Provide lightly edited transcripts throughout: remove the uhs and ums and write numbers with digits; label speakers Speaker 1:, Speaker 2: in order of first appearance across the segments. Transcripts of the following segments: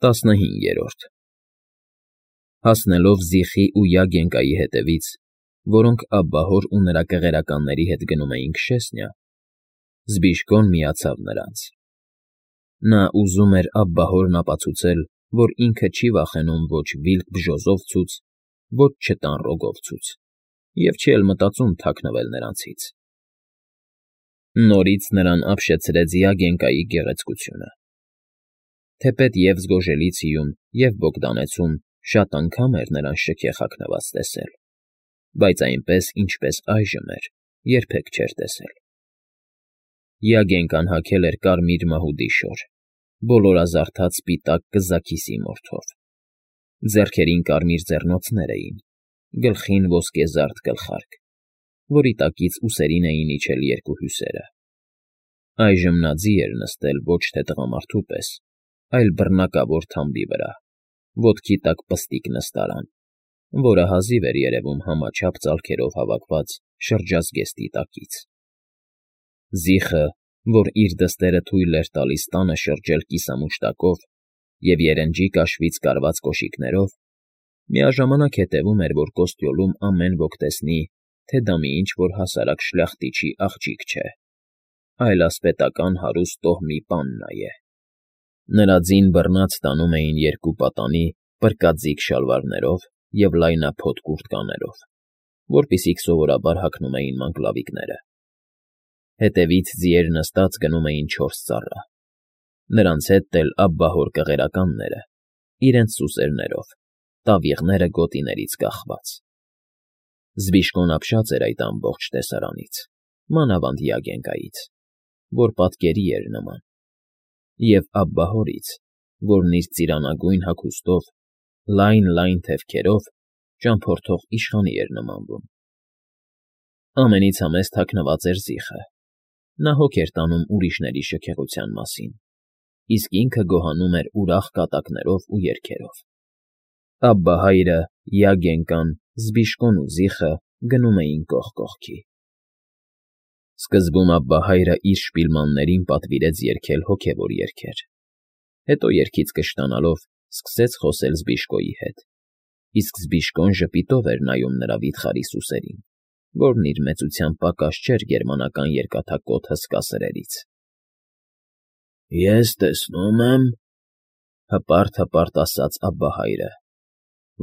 Speaker 1: 15 Հասնելով Զիխի ու Յագենկայի հետևից, որոնք Աբբահոր ու նրա կղերականների հետ գնում էին քշեսնյա, Զբիշկոն միացավ նրանց. նա ուզում էր Աբբահորն ապացուցել, որ ինքը չի վախենում ոչ վիլք բժոզովցուց, ոչ չտան ռոգովցուց, և չի էլ մտածում թաքնվել նրանցից։ Նորից նրան ապշեցրեց Յագենկայի գեղեցկությունը։ Թեպետ և Զգոժելիցիում, և Բոգդանեցում շատ անգամ էր նրան շքեղ հագնված տեսել, բայց այնպես, ինչպես այժմ էր, երբեք չէր տեսել։ Յագենկան հագել էր կարմիր մահուդի շոր, բոլորազարդած սպիտակ կզաքիսի մորթով։ Ձեռքերին կարմիր ձեռնոցներ էին, գլխին ոսկեզարդ գլխարկ, որի տակից ուսերին էին իջել երկու հյուսերը։ Այժմ նա ձի էր նստել ոչ թե տղամարդու պես, այլ բռնակավոր թամբի վրա, ոտքի տակ պստիկ նստարան, որը հազիվ էր երևում համաչափ ծալքերով հավաքված շրջազգեստի տակից։ Զիխը, որ իր դստերը թույլ էր տալիս տանը շրջել կիսամուշտակով և երնջի կաշվից կարված կոշիկներով, միաժամանակ հետևում էր, որ Կոստյոլում ամեն ոք տեսնի, թե դա մի ինչ֊որ հասարակ շլյախտիչի աղջիկ չէ, այլ ասպետական հարուստ տոհմի պաննա է։ Նրա ձին բռնած տանում էին երկու պատանի պրկաձիգ շալվարներով և լայնափոտ կուրտկաներով, որպիսիք սովորաբար հագնում էին մանկլավիկները։ Հետևից ձիեր նստած գնում էին 4 ծառա, նրանց հետ էլ Աբբահոր կղերականները, իրենց սուսերներով, տավիղները գոտիներից կախված։ Զբիշկոն ապշած էր այդ ամբողջ տեսարանից, մանավանդ Յագենկայից, որ պատկերի էր նման, և Աբբահորից, որն իր ծիրանագույն հագուստով, լայն թևքերով ճամփորդող իշխանի էր նմանվում։ Ամենից համեստ հագնված էր Զիխը։ Նա հոգ էր տանում ուրիշների շքեղության մասին, իսկ ինքը գոհանում էր ուրախ կատակներով ու երգերով։ Աբբահայրը, Յագենկան, Զբիշկոն ու Զիխը գնում էին կողք կողքի։ Սկզբում Աբբահայրը իր շպիլմաններին պատվիրեց երգել հոգևոր երգեր, հետո երգից կշտանալով սկսեց խոսել Զբիշկոյի հետ, իսկ Զբիշկոն ժպիտով էր նայում նրա վիթխարի սուսերին, որն իր մեծությամբ պակաս չէր գերմանական երկաթակոթ հսկա սրերից։ «Ես տեսնում եմ,֊ հպարտ ասաց Աբբահայրը,֊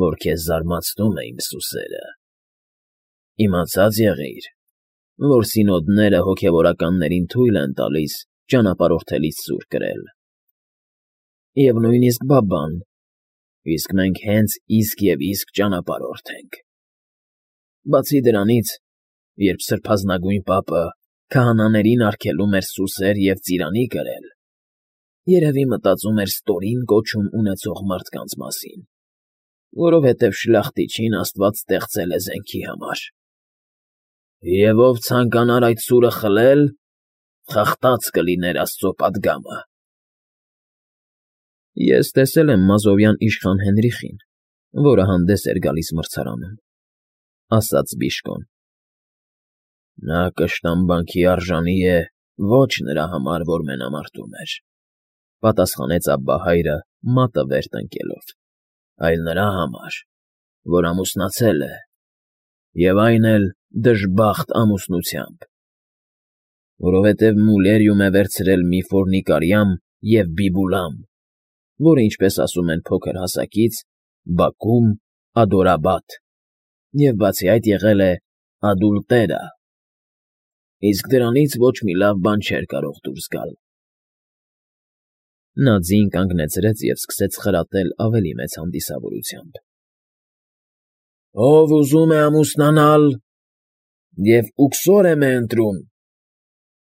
Speaker 1: որ քեզ զարմացնում է իմ սուսերը։ Իմացած եղիր, որ սինոդները հոգևորականներին թույլ են տալիս ճանապարհորդելիս սուր կրել, և նույնիսկ բաբան, իսկ մենք հենց իսկ և իսկ ճանապարհորդ ենք։ Բացի դրանից, երբ սրբազնագույն պապը քահանաներին արգելում էր սուսեր և ծիրանի կրել, երևի մտածում էր ստորին կոչում ունեցող մարդկանց մասին, որովհետև շլախտիչին Աստված ստեղծել է զենքի համար։ Եվ ով ցանկանար այդ սուրը խլել, խախտած կլիներ Աստծո պատգամը»։ Ես տեսել եմ Մազովյան իշխան Հենրիխին, որը հանդես էր գալիս մրցարանում,֊ ասաց Զբիշկոն։ «Նա կշտամբանքի արժանի է ոչ նրա համար, որ մենամարտում էր,֊ պատասխանեց Աբբահայրը մատը վեր տնկելով,֊ այլ նրա համար, որ ամուսնացել է, և այն էլ դժբախտ ամուսնությամբ, որովհետև Մուլերիում է վերցրել մի ֆորնիկարիամ և Բիբուլամ, որը, ինչպես ասում են փոքր հասակից, բակում ադորաբատ, և բացի այդ եղել է ադուլտերա, իսկ դրանից ոչ մի լավ բան չէր կարող դուրս գալ»։ Նա ձին կանգնեցրեց և սկսեց խրատել ավելի մեծ հանդիսավորությամբ. «Ով ուզում է ամուսնանալ և ուքսորեմ է ընտրում,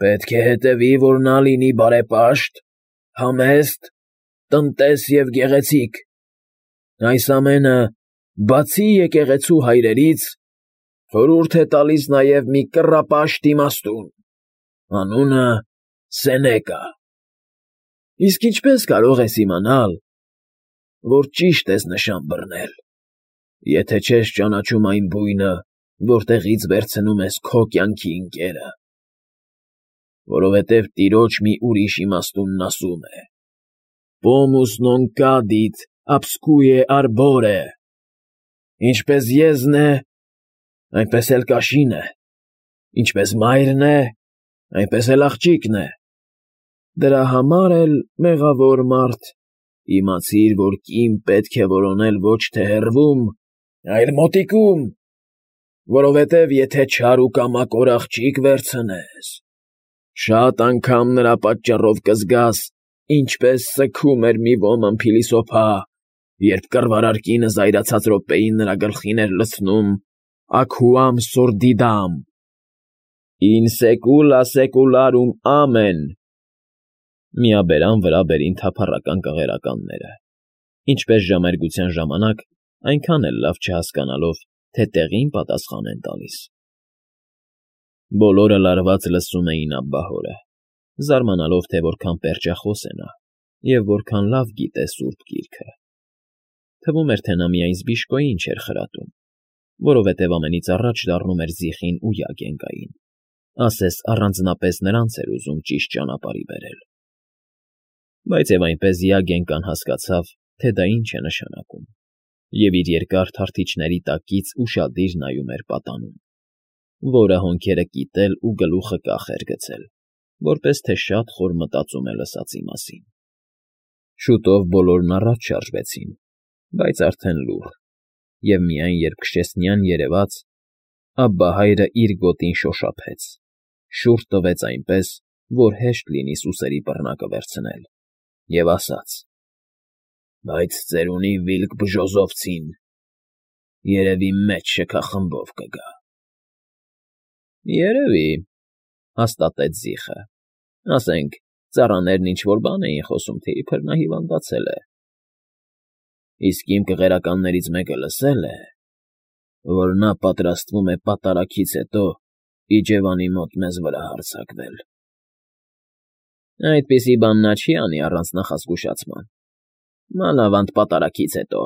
Speaker 1: պետք է հետևի, որ նա լինի բարեպաշտ, համեստ, տնտես և գեղեցիկ, այս ամենը, բացի եկեղեցու հայրերից, խորհուրդ է տալիս նաև մի կռապաշտ իմաստուն, անունը Սենեկա։ Իսկ ինչպե՞ս կարող ես իմանալ, որ ճիշտ ես նշան բռնել, եթե չես ճանաչում այն բույնը, որտեղից վերցնում ես քո կյանքի ընկերը, որովհետև տիրոջ մի ուրիշ իմաստունն ասում է.
Speaker 2: Pomus non cadit, abscue arbore։ Ինչպես եզն է, այնպես էլ կաշին է, ինչպես մայրն է, այնպես էլ աղջիկն է։ Դրա համար էլ, մեղավոր մարդ, իմացիր, որ կին պետք է որոնել ոչ թե հեռվում, այլ մոտիկում, որովհետև եթե չար ու կամակոր աղջիկ վերցնես, շատ անգամ նրա պատճառով կզգաս, ինչպես սգում էր մի ոմն փիլիսոփա, երբ կռվարար կինը զայրացած րոպեին նրա գլխին էր լցնում աքուամ սորդիդամ, in secula secularum amen։ Միաբերան վրա բերին թափառական կղերականները, ինչպես ժամերգության ժամանակ, այնքան էլ լավ չհասկանալով, թե տեղին պատասխան են տալիս։ Բոլորը լարված լսում էին Աբբահորը, զարմանալով, թե որքան պերճախոս է նա և որքան լավ գիտե Սուրբ Գիրքը։ Թվում էր, թե նա միայն Զբիշկոյին չէր խրատում, որովհետև ամենից առաջ դառնում էր Զիխին ու Յագենկային, ասես առանձնապես նրանց էր ուզում ճիշտ ճանապարհի բերել։ Բայց և այնպես Յագենկան հասկացավ, թե դա ինչ է նշանակում, և իր երկար թարթիչների տակից ուշադիր նայում էր պատանուն, որը հոնքերը կիտել ու գլուխը կախ էր գցել, որպես թե շատ խոր մտածում է լսածի մասին։ Շուտով բոլորն առաջ շարժվեցին, բայց արդեն լուռ, և միայն երբ Քշեսնյան երևաց, Աբբահայրը իր գոտին շոշափեց, շուռ տվեց այնպես, որ հեշտ լինի սուսերի բռնակը վերցնել, և ասաց. «Բայց ծերունի վիլկ բժոզովցին երևի մեծ շքախմբով կգա»։ «Երևի», հաստատեց Զիխը, ասենք, ծառաներն ինչ֊որ բան էին խոսում, թե իբր նա հիվանդացել է։ Իսկ իմ կղերականներից մեկը լսել է, որ նա պատրաստվում է պատարագից հետո իջևանի մոտ մեզ վրա հարձակվել։ Այդպիսի բան նա չի անի առանց նախազգուշացման, մանավանդ պատարագից հետո։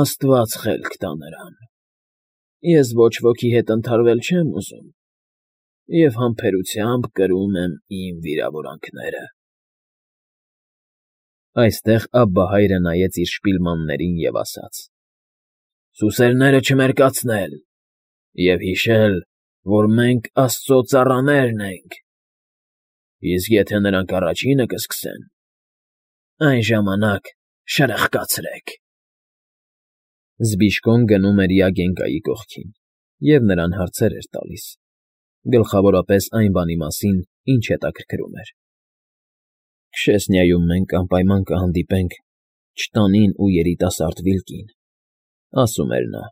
Speaker 2: Աստված խելք տա նրան։ Ես ոչ ոքի հետ ընդհարվել չեմ ուզում և համբերությամբ կրում եմ իմ վիրավորանքները։ Այստեղ Աբբահայրը նայեց իր շպիլմաններին և ասաց. «Սուսերները չմերկացնել և հիշել, որ մենք Աստծո ծառաներն ենք, իսկ եթե նրանք առաջինը կսկսեն, այն ժամանակ շրխկացրեք»։ Զբիշկոն գնում էր Յագենկայի կողքին և նրան հարցեր էր տալիս, գլխավորապես այն բանի մասին, ինչ հետաքրքրում էր։ «Քշեսնիայում մենք անպայման կհանդիպենք չտանին ու երիտասարդ Վիլկին», ասում էր նա։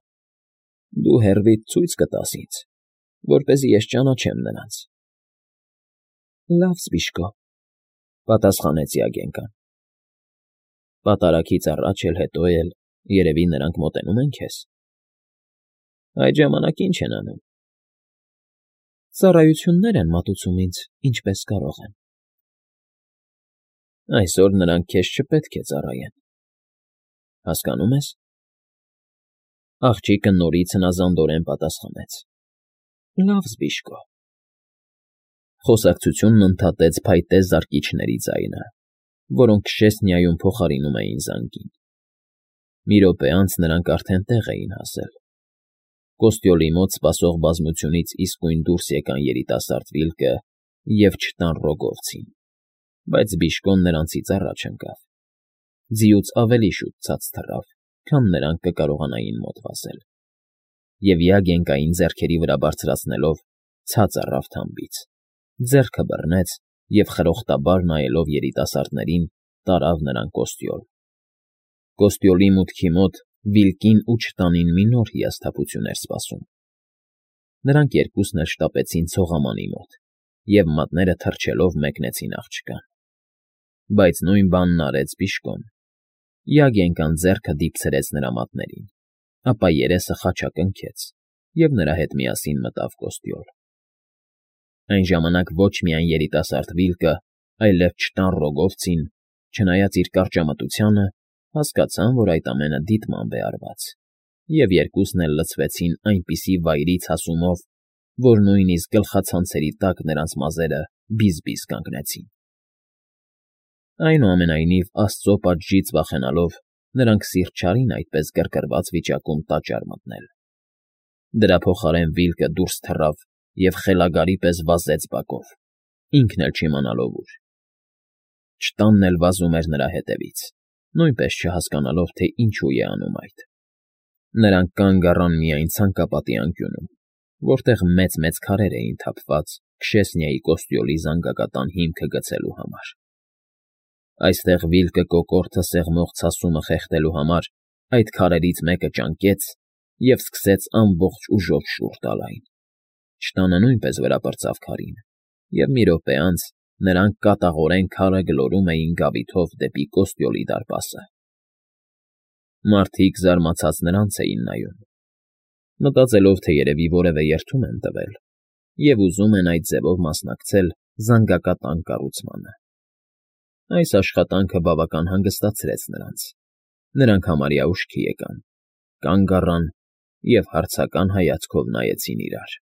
Speaker 2: «Դու հեռվիտ ցույց կտաս ինձ, որպեսզի ես ճանաչեմ նրանց»։ Լավ, Զբիշկո, պատասխանեց Յագենկան։ Պատարագից առաջ էլ հետո էլ, երևի նրանք մոտենում են քեզ։ Այդ ժամանակ ինչ են անում։ Ծառայություններ են մատուցում ինձ, ինչպես կարող են։ Այսօր նրանք քեզ չպետք է ծառայեն, հասկանում ես։ Աղջիկը նորից հնազանդորեն պատասխանեց. Լավ, Զբիշկո։ Խոսակցությունն ընդհատեց փայտե զարկիչների ձայնը, որոնք Քշեսնիայում փոխարինում էին զանգին։ Մի րոպե անց նրանք արդեն տեղ էին հասել։ Կոստյոլի մոտ սպասող բազմությունից իսկույն դուրս եկան երիտասարդ Վիլկը և չտան Ռոգովցին, բայց Զբիշկոն նրանցից առաջ ընկավ։ Ձիուց ավելի շուտ ցած թռավ, քան նրանք կկարողանային մոտ վազել, և Յագենկային ձեռքերի վրա բարձրացնելով ցած առավ թամբից, ձեռքը բռնեց և խրոխտաբար նայելով երիտասարդներին տարավ նրան Կոստյոլ։ Կոստյոլի մուտքի մոտ Վիլկին ու չտանին մի նոր հիասթափություն էր սպասում։ Նրանք երկուսն էլ շտապեցին ցողամանի մոտ և մատները թռչելով մեկնեցին աղջկան։ Բայց նույն բանն արեց Զբիշկոն։ Յագենկան ձեռքը դիպցրեց նրա մատներին, ապա երեսը խաչակնքեց, և նրա հետ միասին մտավ Կոստյոլ։ Այն ժամանակ ոչ միայն երիտասարդ Վիլկը, այլև չտան Ռոգովցին, չնայած իր կարճամտությանը, հասկացան, որ այդ ամենը դիտմամբ է արված, և երկուսն էլ լցվեցին այնպիսի վայրից հասումով, որ նույնիսկ գլխացանցերի տակ նրանց մազերը բիզ֊բիզ կանգնեցին։ Այնուամենայնիվ, Աստծո պատժից վախենալով, նրանք սիրտ չարին այդպես գրգռված վիճակում տաճար մտնել։ Դրա փոխարեն Վիլկը դուրս թռավ և խելագարի պես վազեց բակով, ինքն էլ չիմանալով ուր։ Չտանն էլ վազում էր նրա հետևից, նույնպես չհասկանալով, թե ինչու է անում այդ։ Նրանք կանգ առան միայն ցանկապատի անկյունում, որտեղ մեծ-մեծ քարեր էին թափված Քշեսնիայի կոստյոլի զանգակատան հիմքը գցելու համար։ Այստեղ Վիլկը կոկորդը սեղմող ցասումը խեղդելու համար այդ քարերից մեկը ճանկեց և սկսեց ամբողջ ուժով շուռ տալ այն։ Չտանը նույնպես վրա պրծավ քարին, և մի րոպե անց նրանք կատաղորեն քարը գլորում էին գավիթով դեպի կոստյոլի դարպասը։ Մարդիկ զարմացած նրանց էին նայում, մտածելով, թե երևի որևէ երդում են տվել և ուզում են այդ ձևով մասնակցել զանգակատան կառուցմանը։ Այս աշխատանքը բավական հանգստացրեց նրանց։ Նրանք համարյա ուշքի եկան, կանգ առան և հարցական հայացքով նայեցին իրար։